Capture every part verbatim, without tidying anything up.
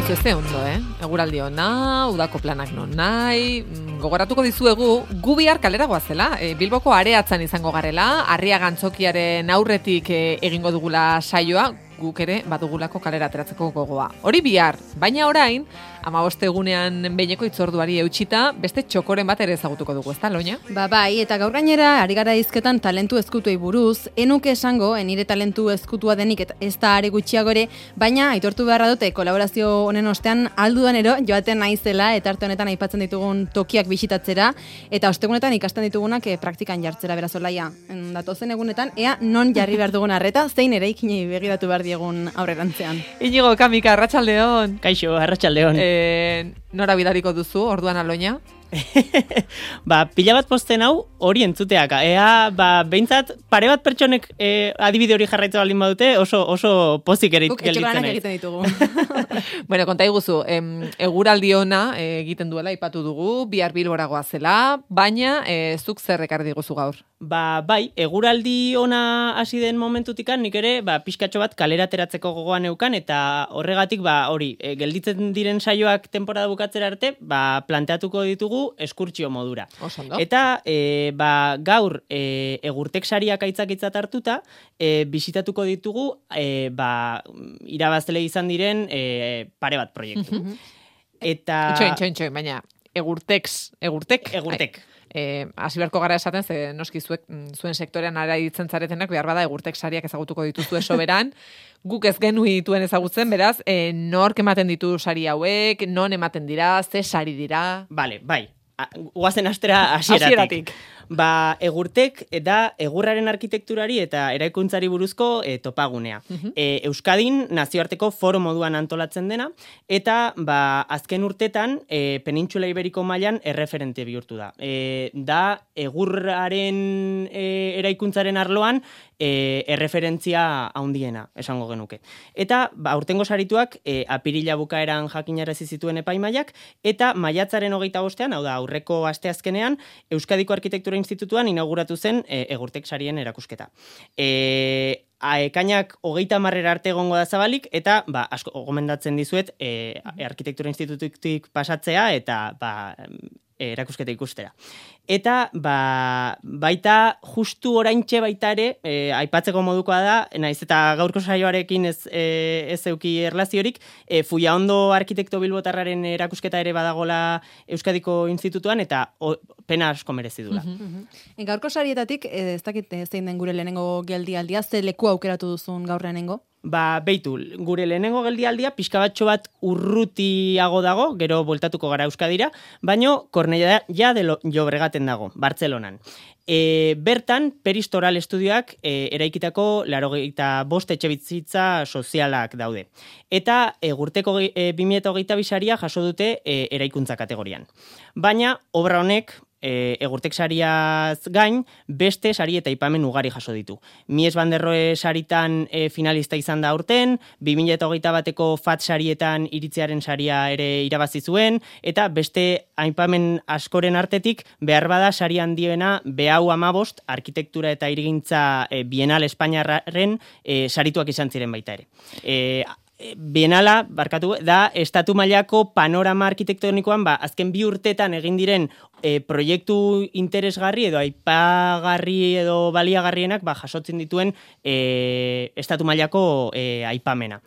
ezagutu ez ondo, eh? Eguraldi ona, udako planak non nahi, gogoratuko dizuegu, gu bihar kalera goazela, e, Bilboko areatzan izango garela, Arriaga Antzokiaren aurretik e, egingo dugula saioa, guk ere badugulako kalera ateratzeko gogoa. Hori bihar, baina orain, hamabost egunean behineko itzorduari eutxita, beste txokoren bat ere ezagutuko dugu, ezta, Loña? Ba, bai, eta gaur gainera, ari gara hizketan talentu ezkutuei buruz, enuke esango, nire talentu ezkutua denik eta ez da are gutxiago ere, baina aitortu beharra dute kolaborazio honen ostean aldudanero joaten naizela eta arte honetan aipatzen ditugun tokiak bisitatzera, eta ostegunetan ikasten ditugunak eh, praktikan jartzera beraz olaia. Datozen egunetan, ea non jarri behar dugun arreta, zein eraikinei begiratu behar diegun aurrerantzean. Inigo, Kamika, arratsaldeon. Kaixo, arratsaldeon. Eh, nora bidariko duzu, orduan Aloña? Ba, pila bat posten hau hori entzuteak. Ea, ba, behintzat, pare bat pertsonek e, adibide hori jarraitza baldin badute, oso, oso pozik erit Guk gelditzen etxeko lanak naiz. egiten ditugu. Bueno, konta iguzu, em, eguraldi ona eh, egiten duela, ipatu dugu, bihar Bilbora goazela, baina eh, zuk zer ekarri diguzu gaur? Ba, bai, eguraldi ona hasi den momentutikan, nik ere, ba, pixkatxo bat kalera ateratzeko gogoan neukan, eta horregatik, ba, hori, e, gelditzen diren saioak temporada bukatzera arte, ba, planteatuko ditugu eskurtsio modura. Oso ondo. Eta, e, ba, gaur, e, egurtek sariak aitzakitzat hartuta, e, bisitatuko ditugu, e, ba, irabazle izan diren e, pare bat proiektu. Eta... Itxoin, itxoin, itxoin, baina egurtex, egurtek? Egurtek. Eh, hasi beharko gara esaten, ze noski zuek, zuen sektorean ara ditzen zaretenak, behar bada egurtek sariak ezagutuko dituzue soberan, guk ez genuen ezagutzen, beraz, eh, nork ematen ditu sari hauek, non ematen dira, ze sari dira... Vale, bai. A- Guazen astera hasieratik. Hasieratik. Ba, egurtek da egurraren arkitekturari eta eraikuntzari buruzko e, topagunea. E, Euskadin nazioarteko foro moduan antolatzen dena, eta ba, azken urtetan e, Penintsula Iberiko mailan erreferente bihurtu da. E, da egurraren e, eraikuntzaren arloan e, erreferentzia handiena, esango genuke. Eta ba, aurtengo sarituak e, apirila bukaeran jakinarazi zituen epaimaiak, eta maiatzaren hogeita bostean, hau da, aurreko asteazkenean, Euskadiko Arkitektura Institutuan inauguratu zen e, egurtek sarien erakusketa. E, Ekainak hogeita marrera arte egongo da zabalik, eta ba, asko gomendatzen dizuet e, Arkitektura Institututik pasatzea eta ba, erakusketa ikustera. Eta ba, baita justu oraintxe baita ere, e, aipatzeko modukoa da, naiz eta gaurko saioarekin ez, e, ez euki erlaziorik, e, Fullaondo arkitekto bilbotarraren erakusketa ere badagola Euskadiko Institutuan, eta o, pena asko merezi dula. E, gaurko sarietatik, eh, ez dakit eh, zein den gure lehenengo geldialdia, ze leku aukeratu duzun gaur lehenengo? Ba, beitu, gure lehenengo geldialdia pixka batxo bat urrutiago dago, gero bueltatuko gara Euskadira, baino Cornellà de Llobregaten dago, Bartzelonan. E, bertan, Peristoral Estudioak e, eraikitako laurogeita bost etxebizitza sozialak daude. Eta egurteko e, bi mila hogeita bi saria jaso dute e, eraikuntza kategorian. Baina, obra honek, E, egurtek sariaz gain, beste sari eta aipamen ugari jaso ditu. Mies van der Rohe saritan e, finalista izan da aurten, bi mila hogeita bateko F A T sarietan iritziaren saria ere irabazi zuen, eta beste aipamen askoren artetik, behar bada sari handiena behau amabost, arkitektura eta hirigintza e, Bienal Espainiarraren e, sarituak izan ziren baita ere. E, Bienala, barkatu, da estatu mailako panorama arkitektonikoan, ba, azken bi urtetan egin diren e, proiektu interesgarri edo aipagarri edo baliagarrienak ba, jasotzen dituen e, estatu mailako e, aipamena.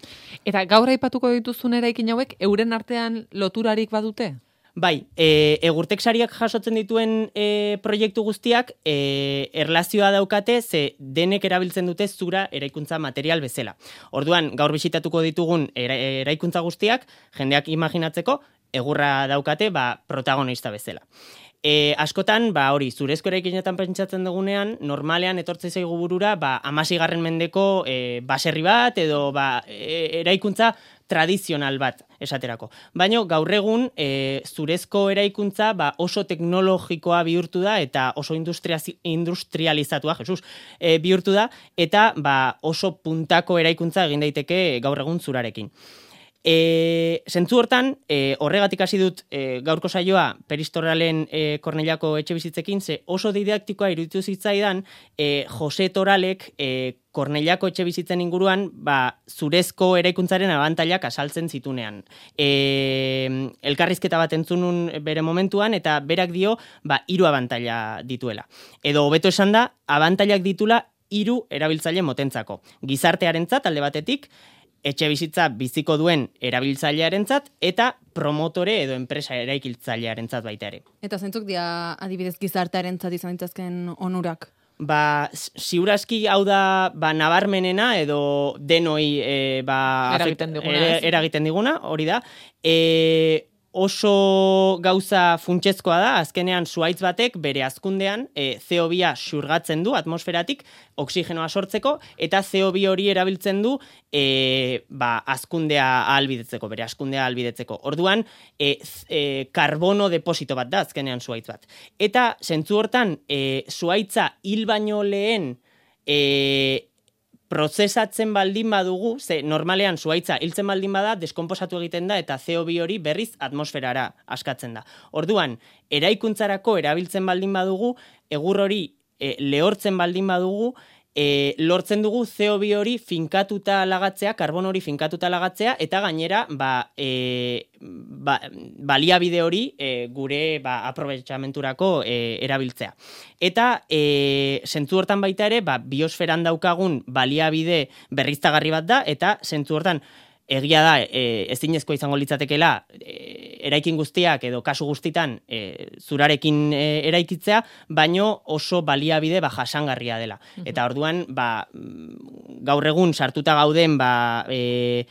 Eta gaur aipatuko dituzun eraikin hauek, euren artean loturarik badute? Bai, e, egurtek sariak jasotzen dituen e, proiektu guztiak e, erlazioa daukate, ze denek erabiltzen dute zura eraikuntza material bezala. Orduan, gaur bisitatuko ditugun era, eraikuntza guztiak, jendeak imaginatzeko, egurra daukate, ba, protagonista bezala. E, askotan, ba, hori, zurezko eraikinetan pentsatzen dugunean, normalean etortze zaigu burura, ba, amasigarren mendeko e, baserri bat, edo ba, e, eraikuntza tradizional bat esaterako. Baina gaur egun e, zurezko eraikuntza ba, oso teknologikoa bihurtu da eta oso industrializatua, Jesus, e, bihurtu da eta ba, oso puntako eraikuntza egin daiteke gaur egun zurarekin. E, zentzu hortan, e, horregatik hasi dut e, gaurko saioa Peristoralen e, Cornellako etxe bizitzekin, ze oso didaktikoa iruditu zitzaidan e, Jose Toralek e, Kornellako etxe bizitzen inguruan, ba, zurezko eraikuntzaren abantailak asaltzen zitunean. E, elkarrizketa bat entzunun bere momentuan, eta berak dio, ba, hiru abantaila dituela. Edo hobeto esan da, abantailak ditula hiru erabiltzaile motentzako. Gizartearentzat alde batetik, etxe bizitza biziko duen erabiltzailearentzat eta promotore edo enpresa eraikiltzailearentzat baita ere. Eta zentzuk dia adibidez gizartearentzat izan ditzazken onurak? Ba, ziurazki hau da ba, nabarmenena edo denoi e, ba, eragiten diguna, er, eragiten diguna, hori da. E, oso gauza funtsezkoa da, azkenean zuhaitz batek bere hazkundean e, C O bi xurgatzen du atmosferatik oksigenoa sortzeko, eta C O bi hori erabiltzen du e, ba, hazkundea ahalbidetzeko, bere hazkundea ahalbidetzeko. Orduan, e, e, karbono deposito bat da azkenean zuhaitz bat. Eta zentzu hortan, e, zuhaitza hil baino lehen e, prozesatzen baldin badugu, ze normalean zuhaitza hiltzen baldin bada, deskonposatu egiten da eta C O bi hori berriz atmosferara askatzen da. Orduan, eraikuntzarako erabiltzen baldin badugu, egur hori e, lehortzen baldin badugu, e, lortzen dugu C O bi hori finkatuta lagatzea, karbon hori finkatuta lagatzea, eta gainera ba, e, ba, baliabide hori e, gure ba, aprobetxamenturako e, erabiltzea. Eta e, zentzu hortan baita ere, ba, biosferan daukagun baliabide berriztagarri bat da, eta zentzu hortan egia da, e, ezinezkoa izango litzatekeela, e, eraikin guztiak edo kasu guztitan e, zurarekin e, eraikitzea, baino oso baliabide ba, jasangarria dela. Eta orduan, ba, gaur egun sartuta gauden, ba, e,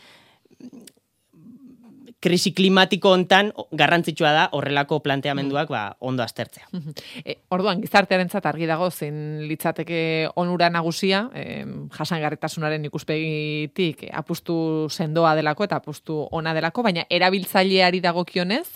krisi klimatiko hontan garrantzitsua da horrelako planteamenduak ba, ondo aztertzea. E, orduan, gizartearentzat argi dago zein litzateke onura nagusia, e, jasangarritasunaren ikuspegitik apustu sendoa delako eta apustu ona delako, baina erabiltzaileari dagokionez,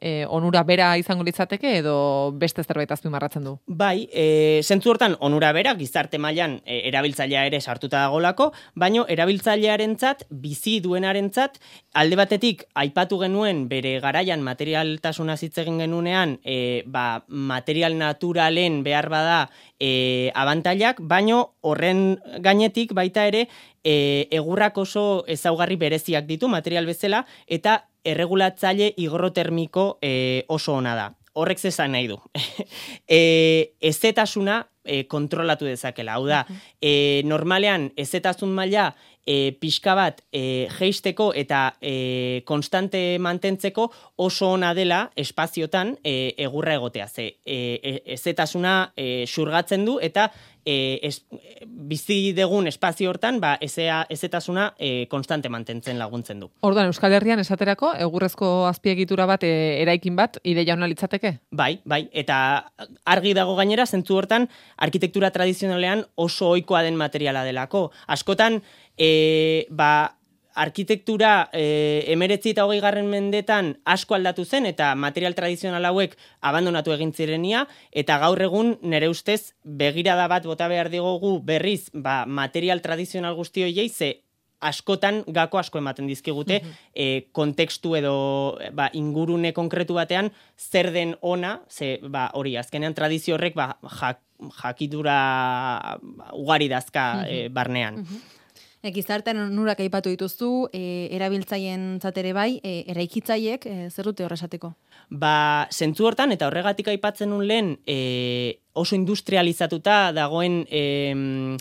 e, onura bera izango litzateke edo beste zerbait azpimarratzen du? Bai, e, zentzu hortan onura bera gizarte mailan e, erabiltzailea ere sartuta dagolako, baino erabiltzailearentzat, bizi duenarentzat, alde batetik aipatu genuen bere garaian materialtasuna hitz egin genunean, e, ba, material naturalen behar bada e, abantailak, baino horren gainetik baita ere e, egurrak oso ezaugarri bereziak ditu material bezala, eta erregulatzaile higrotermiko e, oso ona da. Horrek zesan nahi du. e, ezetasuna e, kontrolatu dezakela. Hau da, e, normalean ezetasun maila e, pixka bat e, jeisteko eta e, konstante mantentzeko oso ona dela espaziotan e, egurra egotea. Ze, e, ezetasuna e, xurgatzen du eta e, es, bizi degun espazio hortan ba, ezea, ezetasuna e, konstante mantentzen laguntzen du. Orduan, Euskal Herrian esaterako, egurrezko azpiegitura bat, e, eraikin bat, ideia ona litzateke? Bai, bai, eta argi dago gainera, zentzu hortan, arkitektura tradizionalean oso ohikoa den materiala delako. Askotan, e, ba, arkitektura e, emeretzi eta hogei garren mendetan asko aldatu zen eta material tradizional hauek abandonatu egin zirenia, eta gaur egun nire ustez begirada bat bota behar digogu berriz ba, material tradizional guzti horiei, ze askotan gako asko ematen dizkigute mm -hmm. e, kontekstu edo ba, ingurune konkretu batean zer den ona, ze ba, hori azkenean tradizio horrek ba, jak, jakidura ugari dazka mm -hmm. e, barnean. Mm -hmm. E, gizartean onurak aipatu dituzu, e, erabiltzaien zatere bai, e, eraikitzaiek, e, zer dute horresateko? Ba, zentzu hortan, eta horregatik aipatzen nun lehen, e, oso industrializatuta dagoen e,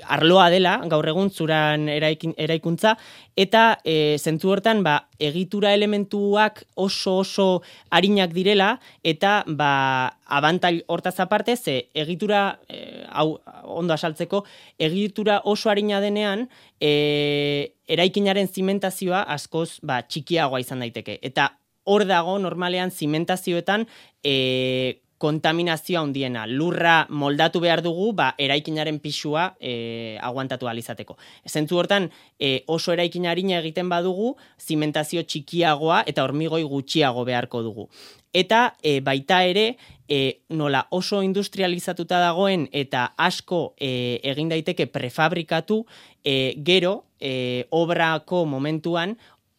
arloa dela, gaur egun zuran eraikin, eraikuntza, eta e, zentzu hortan, ba, egitura elementuak oso oso arinak direla, eta ba, abantail hortaz aparte, ze egitura, e, hau ondo asaltzeko, egitura oso arina denean, e, eraikinaren zimentazioa askoz ba, txikiagoa izan daiteke. Eta hor dago, normalean, zimentazioetan, e, kontaminazioa handiena. Lurra moldatu behar dugu, ba, eraikinaren pisua e, aguantatu alizateko. Zentzu hortan, e, oso eraikin arina egiten badugu, zimentazio txikiagoa eta hormigoi gutxiago beharko dugu. Eta e, baita ere, e, nola oso industrializatuta dagoen eta asko e, egin daiteke prefabrikatu, e, gero, e, obrako momentuan,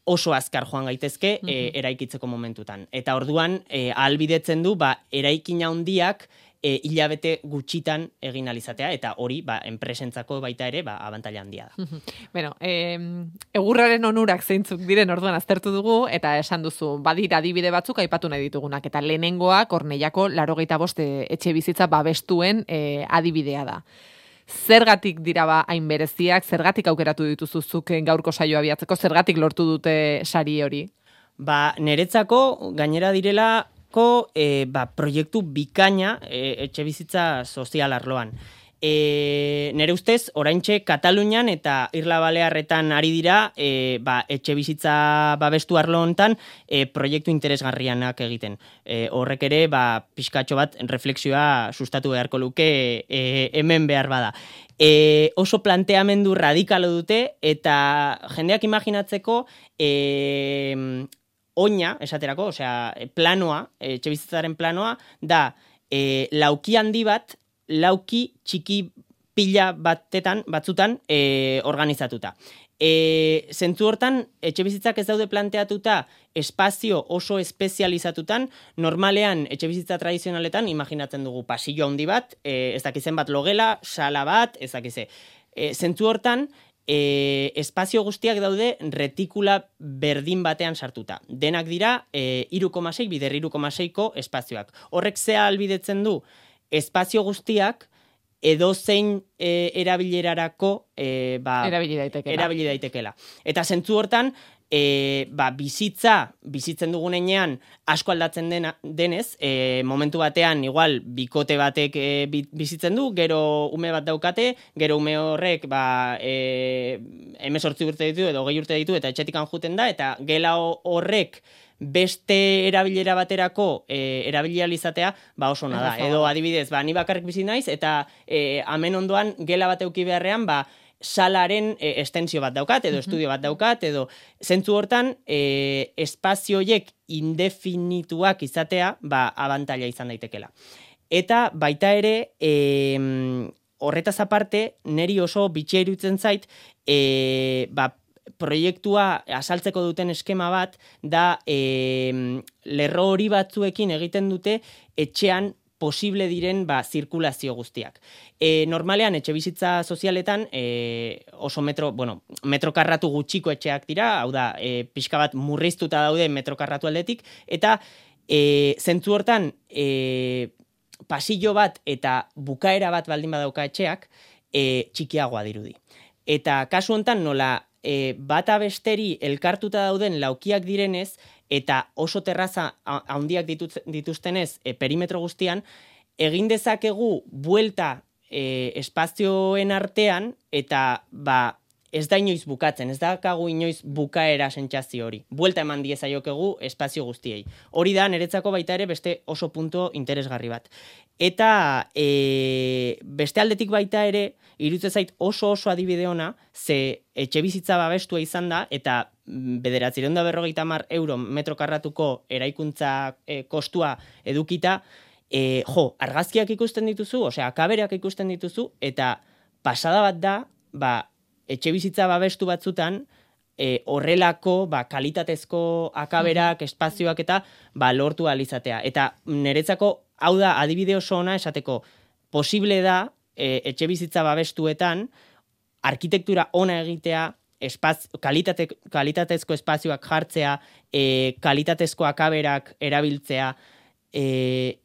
oso azkar joan gaitezke e, eraikitzeko momentutan. Eta orduan, e, ahalbidetzen du, ba, eraikin handiak e, hilabete gutxitan egin alizatea, eta hori, ba, enpresentzako baita ere, ba, abantaila handia da. Bueno, eh, egurraren onurak zeintzuk diren orduan aztertu dugu, eta esan duzu, badira adibide batzuk aipatu nahi ditugunak, eta lehenengoa Kornellako laurogeita bost etxe bizitza babestuen eh, adibidea da. Zergatik dira ba hain bereziak, zergatik aukeratu dituzuzuk gaurko saioa abiatzeko, zergatik lortu dute sari hori? Ba, niretzako gainera direlako e, ba, proiektu bikaina e, etxe bizitza sozial arloan. E, nere ustez, oraintxe Katalunian eta Irla Balearretan ari dira e, ba, etxe bizitza babestu arlo hontan e, proiektu interesgarrianak egiten. E, horrek ere, ba, pixkatxo bat reflexioa sustatu beharko luke e, hemen behar bada. E, oso planteamendu radikalo dute eta jendeak imaginatzeko e, oina, esaterako, osea, planoa, etxe bizitzaren planoa, da e, lauki handi bat, lauki txiki pila batetan, batzutan, e, organizatuta. E, zentzu hortan, etxe bizitzak ez daude planteatuta espazio oso espezializatutan, normalean etxe bizitza tradizionaletan, imaginatzen dugu pasillo handi bat, e, ez dakizen bat logela, sala bat, ez dakize. E, zentzu hortan, E, espazio guztiak daude retikula berdin batean sartuta. Denak dira e, hiru koma sei bider hiru koma seiko espazioak. Horrek zea albidetzen du espazio guztiak edozein e, erabilerarako e, ba, erabili daitekela. erabili daitekela. Eta zentzu hortan, E, ba, bizitza, bizitzen dugunean asko aldatzen dena, denez, e, momentu batean igual bikote batek e, bizitzen du, gero ume bat daukate, gero ume horrek ba, e, hemezortzi urte ditu edo hogei urte ditu eta etxetikan juten da, eta gela horrek beste erabilera baterako e, erabilializatea ba oso ona da. Edo adibidez, ba, ni bakarrik bizi naiz eta e, hemen ondoan gela bat eduki beharrean, ba, salaren e, estensio bat daukat, edo estudio bat daukat, edo zentzu hortan e, espazioiek indefinituak izatea, ba, abantaila izan daitekela. Eta baita ere, e, horretaz aparte, neri oso bitxia iruditzen zait, e, ba, proiektua asaltzeko duten eskema bat, da e, lerro hori batzuekin egiten dute etxean posible diren ba, zirkulazio guztiak. E, normalean, etxe bizitza sozialetan e, oso metro, bueno, metro karratu gutxiko etxeak dira, hau da, e, pixka bat murriztuta daude metro karratu aldetik, eta e, zentzu hortan e, pasillo bat eta bukaera bat baldin badauka etxeak, e, txikiagoa dirudi. Eta kasu hontan nola e, bata besteri elkartuta dauden laukiak direnez, eta oso terraza handiak dituztenez e, perimetro guztian, egin dezakegu buelta e, espazioen artean, eta ba, ez da inoiz bukatzen, ez da kagu inoiz bukaera sentsazio hori. Buelta eman diezaiokegu espazio guztiei. Hori da, niretzako baita ere beste oso punto interesgarri bat. Eta e, beste aldetik baita ere, iruditzen zait oso oso adibide ona, ze etxe bizitza babestua izan da, eta bederatziehun eta berrogeita hamar euro metro karratuko eraikuntza e, kostua edukita, e, jo, argazkiak ikusten dituzu, osea, akabereak ikusten dituzu, eta pasada bat da, ba, etxe bizitza babestu batzutan, e, horrelako ba, kalitatezko akaberak, espazioak eta ba, lortu alizatea. Eta niretzako, hau da, adibide oso ona esateko, posible da, e, etxe bizitza babestuetan, arkitektura ona egitea, espaz, kalitate, kalitatezko espazioak jartzea, e, kalitatezko akaberak erabiltzea, e,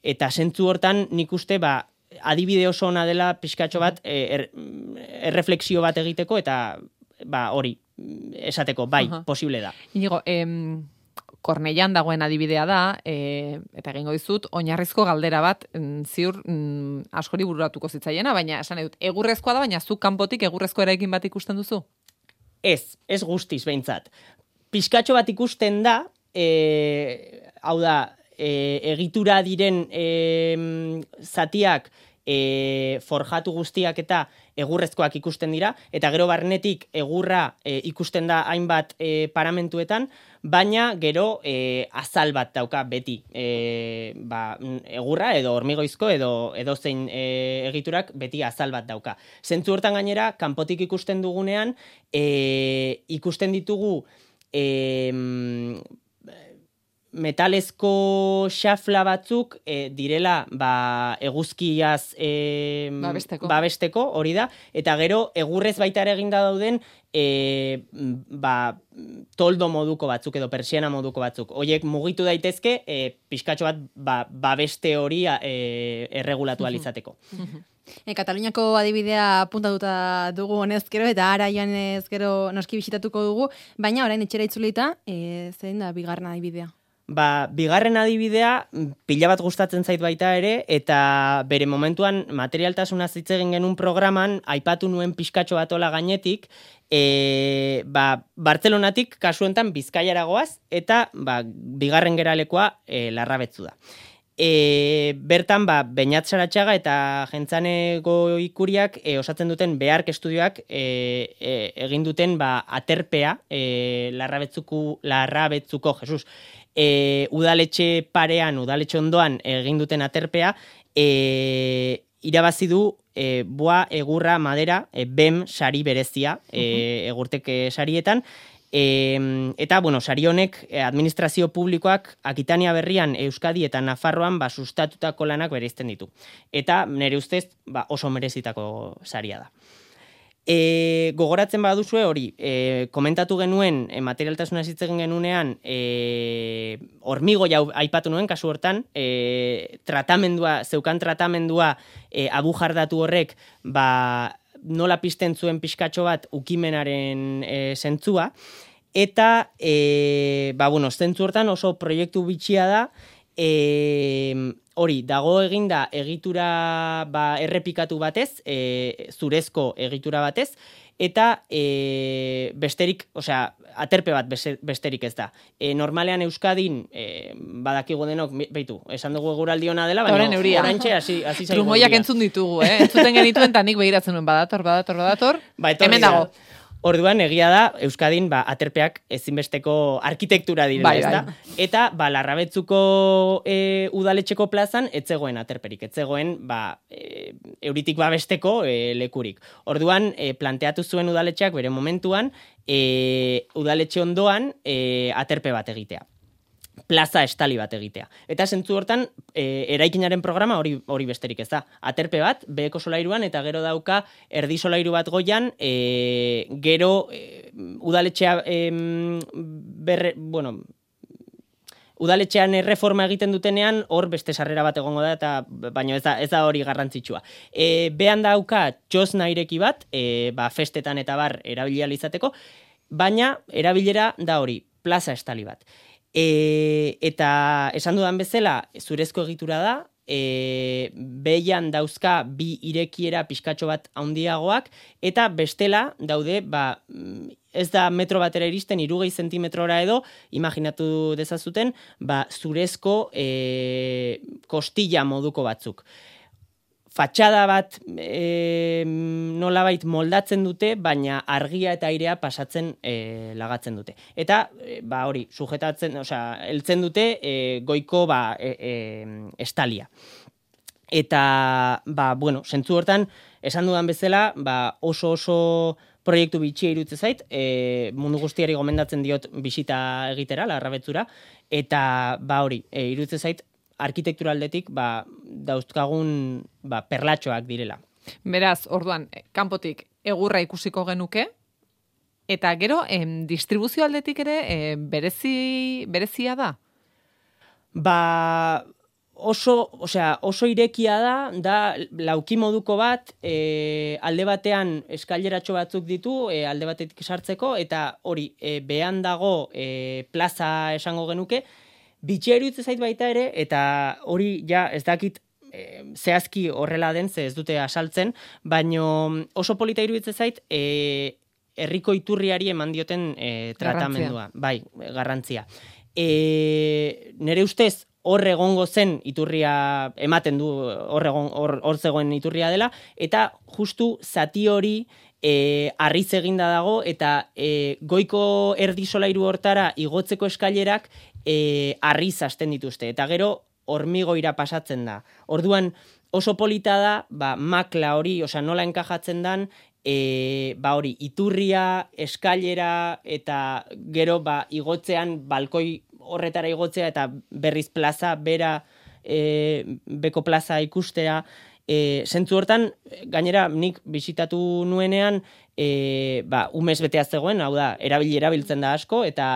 eta zentzu hortan nik uste, ba, adibide oso ona dela pixkatxo bat er, erreflexio bat egiteko eta ba hori esateko bai, uh-huh. Posible da. Inigo, em, Kornellan dagoen adibidea da, e, eta egingo dizut, oinarrizko galdera bat, m, ziur m, askori bururatuko zitzaiena, baina esan edut, egurrezkoa da, baina zuk kanpotik egurrezko eraikin bat ikusten duzu? Ez, ez guztiz behintzat. Pixkatxo bat ikusten da, e, hau da, E, egitura diren e, zatiak e, forjatu guztiak eta egurrezkoak ikusten dira, eta gero barnetik egurra e, ikusten da hainbat e, paramentuetan, baina gero e, azal bat dauka beti e, ba, egurra edo hormigoizko edo edozein e, egiturak beti azal bat dauka. Zentzu hortan gainera, kanpotik ikusten dugunean, e, ikusten ditugu e, metalezko xafla batzuk e, direla ba, eguzkiaz e, babesteko. babesteko, hori da, eta gero egurrez baita ere eginda dauden e, ba, toldo moduko batzuk edo persiana moduko batzuk. Hoiek mugitu daitezke e, pixkatxo bat ba, babeste hori e, erregulatu alizateko. E, Kataluniako adibidea puntatuta dugu honez gero, eta ara joan ez gero noski bisitatuko dugu, baina orain etxera itzulita, e, zein da bigarren adibidea? Ba, bigarren adibidea pila bat gustatzen zait baita ere, eta bere momentuan materialtasuna hitz egin genuen programan aipatu nuen pixkatxo bat ola gainetik, e, ba, Bartzelonatik kasu honetan Bizkaiara goaz, eta ba, bigarren geralekoa e, Larrabetzu da. E, bertan, ba, Beñat Saratxaga eta Jentzane Goikuriak e, osatzen duten Behark estudioak e, e, egin duten ba, aterpea e, Larrabetzuko, Larrabetzuko, Jesus, e, udaletxe parean, udaletxe ondoan egin duten aterpea, e, irabazi du e, boa, egurra, madera, e, B E M sari berezia, e, egurtek e, sarietan, E, eta, bueno, sari honek administrazio publikoak Akitania Berrian, Euskadi eta Nafarroan ba, sustatutako lanak bereizten ditu. Eta nire ustez ba, oso merezitako saria da. E, gogoratzen baduzue hori, e, komentatu genuen e, materialtasuna hitz egin genunean e, hormigo jau aipatu nuen kasu hortan, e, tratamendua, zeukan tratamendua e, abujardatu horrek ba, nola pizten zuen pixkatxo bat ukimenaren e, zentzua, eta e, ba, bueno, zentzu hortan oso proiektu bitxia da, e, hori, dago eginda egitura ba, errepikatu batez, e, zurezko egitura batez, eta e, besterik, osea, aterpe bat besterik ez da. E, normalean Euskadin, e, badakigu denok, beitu, esan dugu eguraldi ona dela, baina oraintxe hasi hasi zaigu. Trumoiak entzun ditugu, eh? Entzuten genituen, eta nik behiratzen nuen, badator, badator, badator, ba, hemen dago. Orduan, egia da, Euskadin ba, aterpeak ezinbesteko arkitektura direla, bai, ez da? Bai. Eta, ba, Larrabetzuko e, udaletxeko plazan, etzegoen aterperik, etzegoen, ba, e, euritik babesteko e, lekurik. Orduan, e, planteatu zuen udaletxeak bere momentuan, e, udaletxe ondoan e, aterpe bat egitea. Plaza estali bat egitea. Eta zentzu hortan, e, eraikinaren programa hori hori besterik ez da. Aterpe bat, beheko solairuan, eta gero dauka erdi solairu bat goian, e, gero e, udaletxea e, berre, bueno, udaletxean erreforma egiten dutenean, hor beste sarrera bat egongo da, eta baina ez da, ez da hori garrantzitsua. E, behan dauka txosna ireki bat, e, ba, festetan eta bar erabilia izateko, baina erabilera da hori, plaza estali bat. E, eta esan dudan bezala, zurezko egitura da, e, behian dauzka bi irekiera pixkatxo bat handiagoak, eta bestela daude, ba, ez da metro batera iristen, irugei zentimetrora edo, imaginatu dezazuten, ba, zurezko e, kostilla moduko batzuk. Fatxada bat e, nolabait moldatzen dute, baina argia eta airea pasatzen e, lagatzen dute. Eta, e, ba hori, sujetatzen, osea, heltzen dute e, goiko ba, e, e, estalia. Eta, ba, bueno, zentzu hortan, esan dudan bezala, ba, oso oso proiektu bitxia irutze zait, e, mundu guztiari gomendatzen diot bisita egitera, Larrabetzura, eta, ba hori, e, irutze zait, arkitektura aldetik ba, dauzkagun ba, perlatxoak direla. Beraz, orduan, kanpotik egurra ikusiko genuke, eta gero, em, distribuzio aldetik ere em, berezi, berezia da? Ba, oso, osea, oso irekia da, da lauki moduko bat, e, alde batean eskaileratxo batzuk ditu, e, alde batetik sartzeko, eta hori, e, behan dago e, plaza esango genuke, bitxia iruditze zait baita ere, eta hori ja ez dakit e, zehazki horrela den, ze ez dute asaltzen, baino oso polita iruditze zait e, herriko iturriari eman dioten e, tratamendua. Garrantzia. Bai, garrantzia. E, nere ustez hor egongo zen iturria ematen du, hor egon, hor, hor zegoen iturria dela, eta justu zati hori E, arriz eginda dago, eta e, goiko erdi solairu hortara igotzeko eskailerak e, arriz hasten dituzte. Eta gero hormigoira pasatzen da. Orduan oso polita da, ba, makla hori, osea nola enkajatzen dan, e, ba hori, iturria, eskailera, eta gero ba, igotzean balkoi horretara igotzea eta berriz plaza, bera, e, beko plaza ikustea, e, zentzu hortan, gainera nik bisitatu nuenean, e, ba, umez betea zegoen, hau da, erabili erabiltzen da asko, eta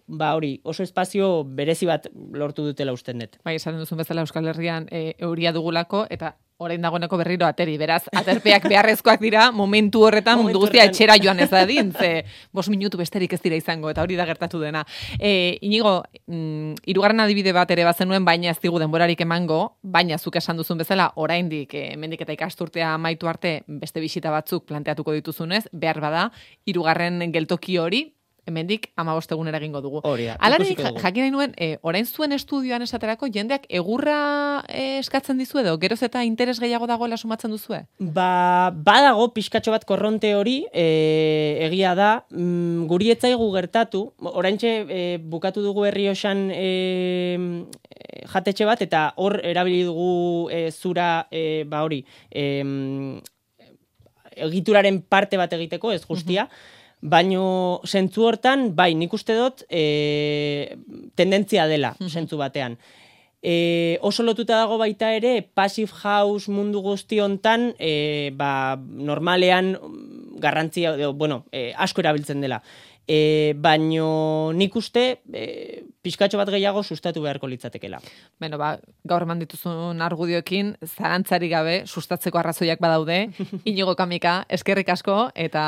ba hori, oso espazio berezi bat lortu dutela usten dut. Bai, esaten duzun bezala Euskal Herrian e, euria dugulako, eta orain dagoeneko berriro ateri, beraz, aterpeak beharrezkoak dira, momentu horretan mundu guztia etxera joan ez dadin, ze bos minutu besterik ez dira izango, eta hori da gertatu dena. E, Inigo, mm, hirugarren adibide bat ere bazenuen, baina ez digu denborarik emango, baina zuk esan duzun bezala, oraindik e, hemendik eta ikasturtea amaitu arte beste bisita batzuk planteatuko dituzunez, behar bada, hirugarren geltoki hori, hemendik hamabost egunera egingo dugu. Hori da. Hala ere, jakin nahi nuen, e, orain zuen estudioan esaterako, jendeak egurra e, eskatzen dizu edo, geroz eta interes gehiago dagoela sumatzen duzue? Ba, badago pixkatxo bat korronte hori, e, egia da, mm, guri etzaigu gertatu, oraintxe e, bukatu dugu Errioxan e, jatetxe bat, eta hor erabili dugu e, zura, e, ba hori, e, egituraren parte bat egiteko, ez guztia, uh-huh. Baino zentzu hortan, bai, nik uste dut e, tendentzia dela, zentzu batean. E, oso lotuta dago baita ere, passive house mundu guzti hontan, e, ba, normalean garrantzia, bueno, e, asko erabiltzen dela. E, baino nik uste e, pixkatxo bat gehiago sustatu beharko litzatekela. Beno, ba, gaur eman dituzun argudioekin, zarantzari gabe, sustatzeko arrazoiak badaude, Inigo Kamika, eskerrik asko, eta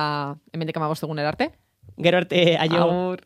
hemendik hamabost egunera arte. Gero arte, aio. Agur.